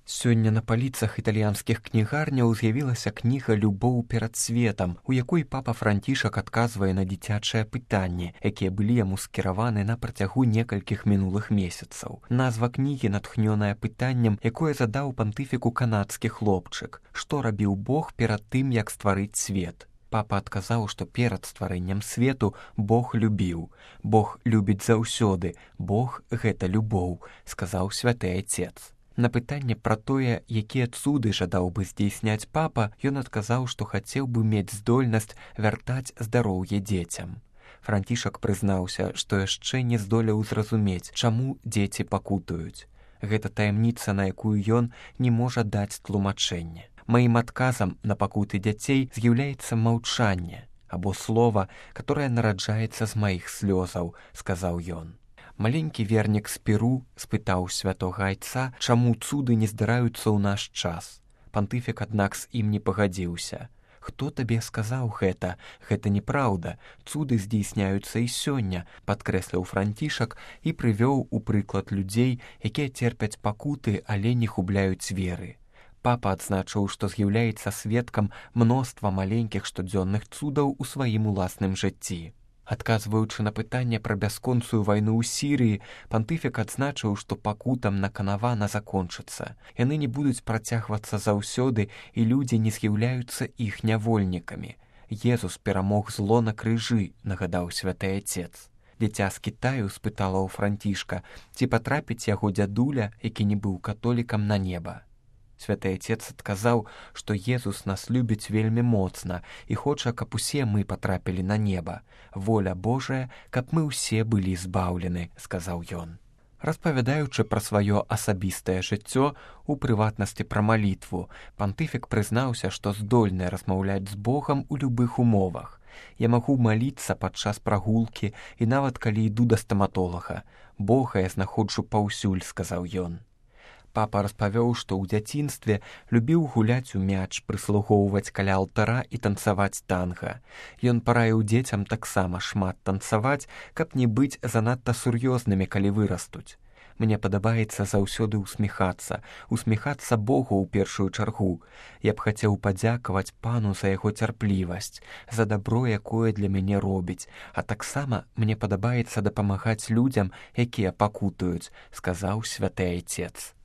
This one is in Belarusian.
Сёння на паліцах італьянскіх кнігарняў з'явілася кніга «Любоў перад светам», у якой папа Францішак адказвае на дзіцячыя пытанні, якія былі яму скіраваны на працягу некалькіх мінулых месяцаў. Назва кнігі натхнёная пытаннем, якое задаў пантыфіку канадскі хлопчык: што рабіў Бог перад тым, як стварыць свет? Папа адказаў, што перад стварэннем свету Бог любіў. Бог любіць заўсёды. Бог — гэта любоў, сказаў святы Айцец. На пытанне пра тое, якія цуды жадаў бы здзейсняць папа, ён адказаў, што хацеў бы мець здольнасць вяртаць здароўе дзецям. Францішак прызнаўся, што яшчэ не здолеў зразумець, чаму дзеці пакутаюць. Гэта таямніца, на якую ён не можа даць тлумачэнне. Маім адказам на пакуты дзяцей з'яўляецца маўчанне, або слова, которое нараджаецца з маіх слёзаў, сказаў ён. Маленькі вернік з Перу спытаў святога Айца, чаму цуды не здараюцца ў наш час. Пантыфік, аднак, з ім не пагадзіўся. «Хто табе сказаў гэта? Гэта неправда. Цуды здзейсняюцца і сёння», падкрэсліў Францішак і прывёў у прыклад людзей, якія церпяць пакуты, але не губляюць веры. Папа адзначыў, што з'яўляецца сведкам мноства маленькіх штодзённых цудаў у сваім уласным жыцці. Адказваючы на пытанне пра бясконцую вайну ў Сірыі, пантыфік адзначыў, што пакутам наканавана закончыцца. Яны не будуць працягвацца заўсёды, і людзі не з'яўляюцца іх нявольнікамі. Езус перамог зло на крыжы, нагадаў святы Айцец. Дзіця з Кітаю спытала ў Францішка, ці патрапіць яго дзядуля, які не быў католікам, на неба. Святы Айцец адказаў, што Езус нас любіць вельмі моцна і хоча, каб усе мы патрапілі на неба. Воля Божая, каб мы ўсе былі збаўлены, сказаў ён. Распавядаючы пра сваё асабістае жыццё, у прыватнасці пра малітву, пантыфік прызнаўся, што здольны размаўляць з Богам у любых умовах. «Я магу маліцца падчас прагулкі і нават калі іду да стаматолага. Бога я знаходжу паўсюль», сказаў ён. Папа распавёў, што ў дзяцінстве любіў гуляць у мяч, прыслугоўваць каля алтара і танцаваць танга. Ён параіў дзецям таксама шмат танцаваць, каб не быць занадта сур'ёзнымі, калі вырастуць. «Мне падабаецца заўсёды усміхацца Богу ў першую чаргу. Я б хацеў падзякаваць пану за яго цярплівасць, за дабро, якое для мяне робіць, а таксама мне падабаецца дапамагаць людзям, якія пакутаюць», сказаў святы Айцец.